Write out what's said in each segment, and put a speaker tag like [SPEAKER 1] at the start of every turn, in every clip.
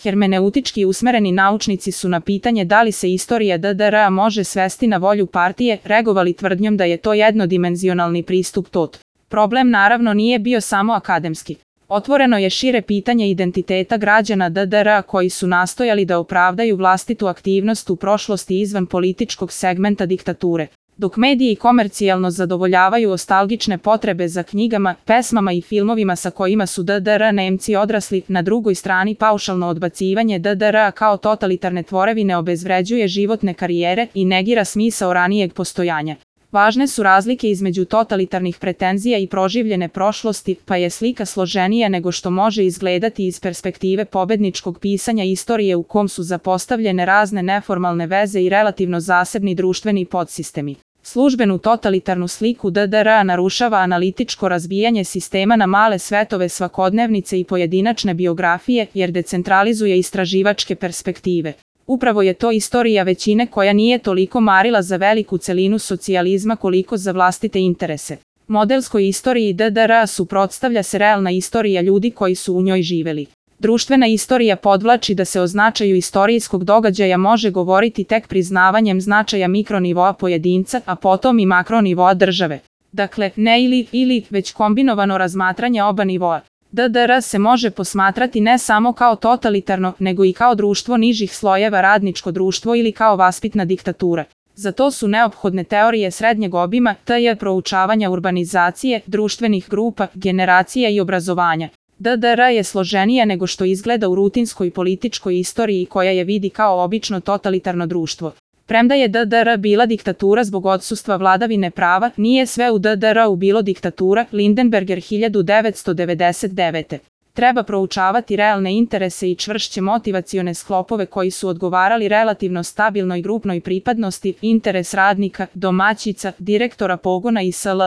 [SPEAKER 1] Hermeneutički usmereni naučnici su na pitanje da li se istorija DDR-a može svesti na volju partije reagovali tvrdnjom da je to jednodimenzionalni pristup tot. Problem naravno nije bio samo akademski. Otvoreno je šire pitanje identiteta građana DDR-a koji su nastojali da opravdaju vlastitu aktivnost u prošlosti izvan političkog segmenta diktature. Dok mediji komercijalno zadovoljavaju ostalgične potrebe za knjigama, pesmama i filmovima sa kojima su DDR Nemci odrasli, na drugoj strani paušalno odbacivanje DDR kao totalitarne tvorevine obezvređuje životne karijere i negira smisao ranijeg postojanja. Važne su razlike između totalitarnih pretenzija i proživljene prošlosti, pa je slika složenija nego što može izgledati iz perspektive pobedničkog pisanja istorije u kom su zapostavljene razne neformalne veze i relativno zasebni društveni podsistemi. Službenu totalitarnu sliku DDR-a narušava analitičko razbijanje sistema na male svetove svakodnevnice i pojedinačne biografije, jer decentralizuje istraživačke perspektive. Upravo je to istorija većine koja nije toliko marila za veliku celinu socijalizma koliko za vlastite interese. Modelskoj istoriji DDR-a suprotstavlja se realna istorija ljudi koji su u njoj živeli. Društvena istorija podvlači da se o značaju istorijskog događaja može govoriti tek priznavanjem značaja mikronivoa pojedinca, a potom i makronivoa države. Dakle, ne ili, već kombinovano razmatranje oba nivoa. DDR se može posmatrati ne samo kao totalitarno, nego i kao društvo nižih slojeva, radničko društvo ili kao vaspitna diktatura. Za to su neophodne teorije srednjeg obima, tj. proučavanja urbanizacije, društvenih grupa, generacija i obrazovanja. DDR je složenija nego što izgleda u rutinskoj političkoj istoriji koja je vidi kao obično totalitarno društvo. Premda je DDR bila diktatura zbog odsustva vladavine prava, nije sve u DDR-u bilo diktatura. Lindenberger 1999. Treba proučavati realne interese i čvršće motivacione sklopove koji su odgovarali relativno stabilnoj grupnoj pripadnosti, interes radnika, domaćica, direktora pogona i sl.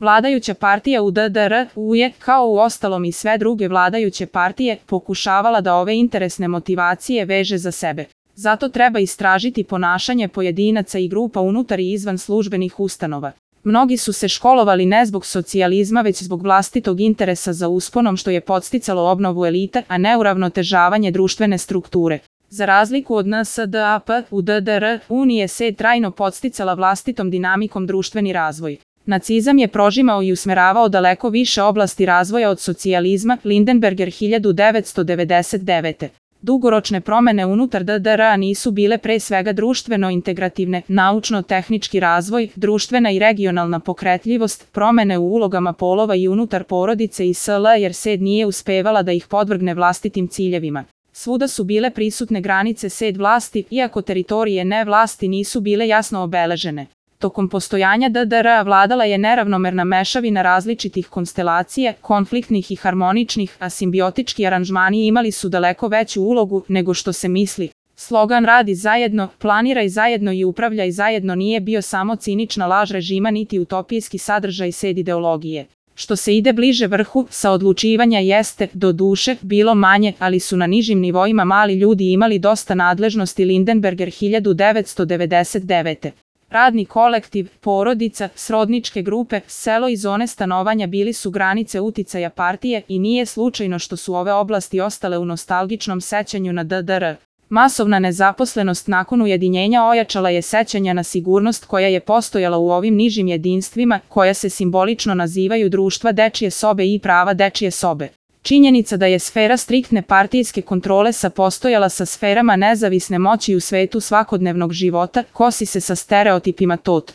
[SPEAKER 1] Vladajuća partija u DDR-u je, kao u ostalom i sve druge vladajuće partije, pokušavala da ove interesne motivacije veže za sebe. Zato treba istražiti ponašanje pojedinaca i grupa unutar i izvan službenih ustanova. Mnogi su se školovali ne zbog socijalizma već zbog vlastitog interesa za usponom što je podsticalo obnovu elita, a ne uravnotežavanje društvene strukture. Za razliku od NSDAP, u DDR-u nije se trajno podsticala vlastitom dinamikom društveni razvoj. Nacizam je prožimao i usmeravao daleko više oblasti razvoja od socijalizma. Lindenberger 1999. Dugoročne promene unutar DDR-a nisu bile pre svega društveno integrativne, naučno-tehnički razvoj, društvena i regionalna pokretljivost, promene u ulogama polova i unutar porodice i sl. Jer SED nije uspevala da ih podvrgne vlastitim ciljevima. Svuda su bile prisutne granice SED vlasti, iako teritorije ne vlasti nisu bile jasno obeležene. Tokom postojanja DDR-a vladala je neravnomerna mešavina različitih konstelacija, konfliktnih i harmoničnih, a simbiotički aranžmani imali su daleko veću ulogu nego što se misli. Slogan "Radi zajedno, planiraj zajedno i upravljaj zajedno" nije bio samo cinična laž režima niti utopijski sadržaj SED ideologije. Što se ide bliže vrhu, sa odlučivanja jeste, do duše, bilo manje, ali su na nižim nivoima mali ljudi imali dosta nadležnosti. Lindenberger 1999. Radni kolektiv, porodica, srodničke grupe, selo i zone stanovanja bili su granice uticaja partije i nije slučajno što su ove oblasti ostale u nostalgičnom sećanju na DDR. Masovna nezaposlenost nakon ujedinjenja ojačala je sećanja na sigurnost koja je postojala u ovim nižim jedinstvima, koja se simbolično nazivaju društva dečije sobe i prava dečije sobe. Činjenica da je sfera striktne partijske kontrole postojala sa sferama nezavisne moći u svetu svakodnevnog života, kosi se sa stereotipima tot.